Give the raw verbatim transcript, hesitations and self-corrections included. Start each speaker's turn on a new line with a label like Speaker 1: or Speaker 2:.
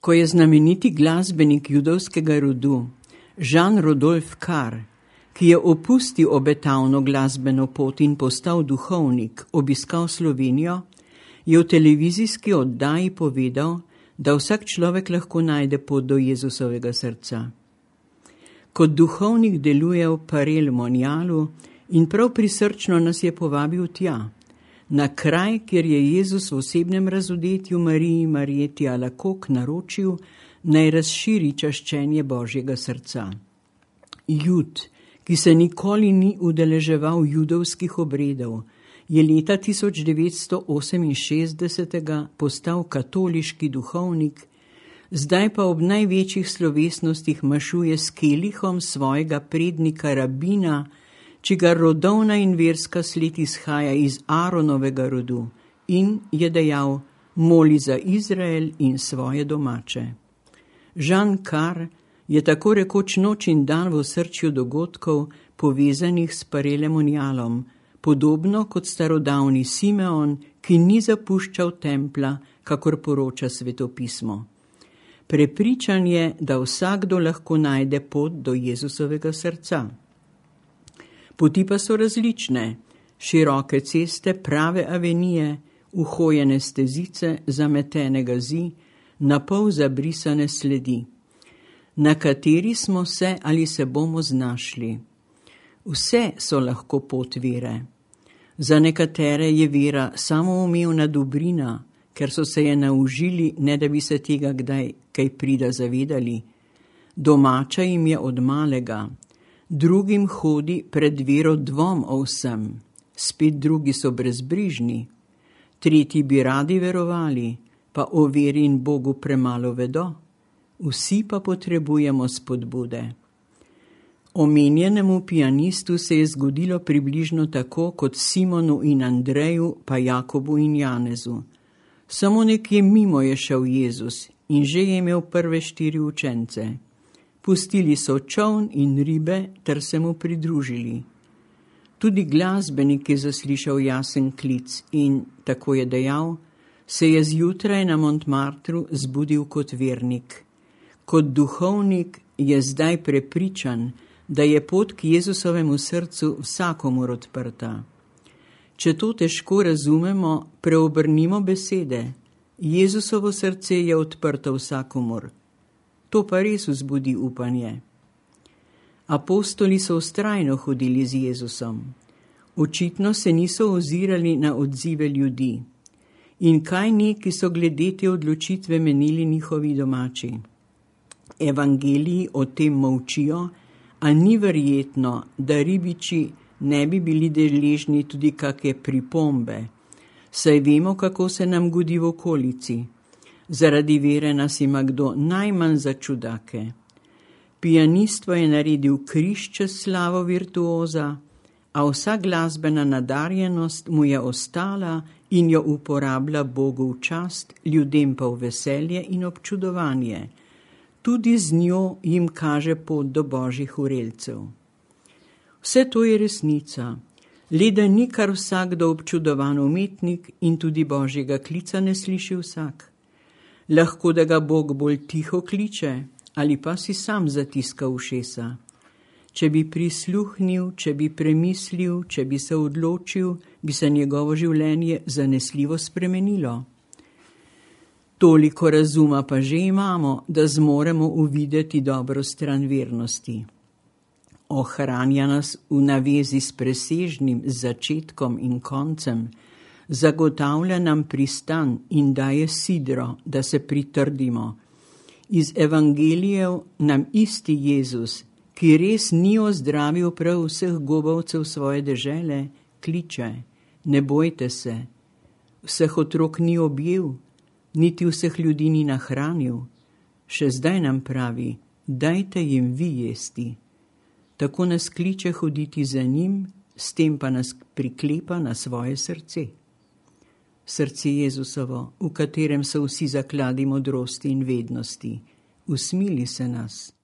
Speaker 1: Ko je znameniti glasbenik judovskega rodu Jean-Rodolphe Carr, ki je opustil obetavno glasbeno pot in postal duhovnik, obiskal Slovenijo, je v televizijski oddaji povedal, da vsak človek lahko najde pot do Jezusovega srca. Kot duhovnik deluje v Parel Monjalu in prav prisrčno nas je povabil tja, na kraj, kjer je Jezus v osebnem razodetju Mariji Marjeti Alakok naročil, naj razširi čaščenje Božjega srca. Jud, ki se nikoli ni udeleževal judovskih obredov, je leta tisoč devetsto oseminšestdeset postal katoliški duhovnik, zdaj pa ob največjih slovesnostih mašuje s kelihom svojega prednika rabina, čigar rodovna in verska sled izhaja iz Aaronovega rodu, in je dejal, moli za Izrael in svoje domače. Jean Carr je tako rekoč noč in dan v osrčju dogodkov, povezanih s Parelem Monjalom, podobno kot starodavni Simeon, ki ni zapuščal templa, kakor poroča svetopismo. Prepričan je, da vsakdo lahko najde pot do Jezusovega srca. Poti pa so različne, široke ceste, prave avenije, uhojene stezice, zametene gazi, napol zabrisane sledi, na kateri smo se ali se bomo znašli. Vse so lahko pot vere. Za nekatere je vera samoumevna dobrina, ker so se je naužili, ne da bi se tega kdaj kaj prida zavedali. Domača jim je od malega, drugim hodi pred vero dvom o vsem, spet drugi so brezbrižni, tretji bi radi verovali, pa o veri in Bogu premalo vedo, vsi pa potrebujemo spodbude. Omenjenemu pianistu se je zgodilo približno tako kot Simonu in Andreju, pa Jakobu in Janezu. Samo nekje mimo je šel Jezus in že je imel prve štiri učence. Pustili so čoln in ribe ter se mu pridružili. Tudi glasbenik je zaslišal jasen klic in, tako je dejal, se je zjutraj na Montmartru zbudil kot vernik. Kot duhovnik je zdaj prepričan, da je pot k Jezusovemu srcu vsakomur odprta. Če to težko razumemo, preobrnimo besede. Jezusovo srce je odprto vsakomur. To pa res vzbudi upanje. Apostoli so vztrajno hodili z Jezusom. Očitno se niso ozirali na odzive ljudi. In kaj neki so glede te odločitve menili njihovi domači? Evangeliji o tem molčijo, a ni verjetno, da ribiči ne bi bili deležni tudi kakšne pripombe, saj vemo, kako se nam godi v okolici. Zaradi vere nas ima kdo najmanj za čudake. Pijanist je naredil križ čez slavo virtuoza, a vsa glasbena nadarjenost mu je ostala in jo uporablja Bogu v čast, ljudem pa v veselje in občudovanje. Tudi z njo jim kaže pot do božjih vrelcev. Vse to je resnica, le da ni kar vsakdo občudovan umetnik in tudi božjega klica ne sliši vsak. Lahko da ga Bog bolj tiho kliče ali pa si sam zatiska ušesa. Če bi prisluhnil, če bi premislil, če bi se odločil, bi se njegovo življenje zanesljivo spremenilo. Toliko razuma pa že imamo, da zmoremo uvideti dobro stran vernosti. Ohranja nas v navezi s presežnim začetkom in koncem, zagotavlja nam pristan in daje sidro, da se pritrdimo. Iz evangelijev nam isti Jezus, ki res ni ozdravil prav vseh gobavcev svoje dežele, kliče, ne bojte se, vseh otrok ni objel, niti vseh ljudi ni nahranil, še zdaj nam pravi, dajte jim vi jesti. Tako nas kliče hoditi za njim, s tem pa nas priklepa na svoje srce. Srce Jezusovo, v katerem so vsi zakladi modrosti in vednosti, usmili se nas.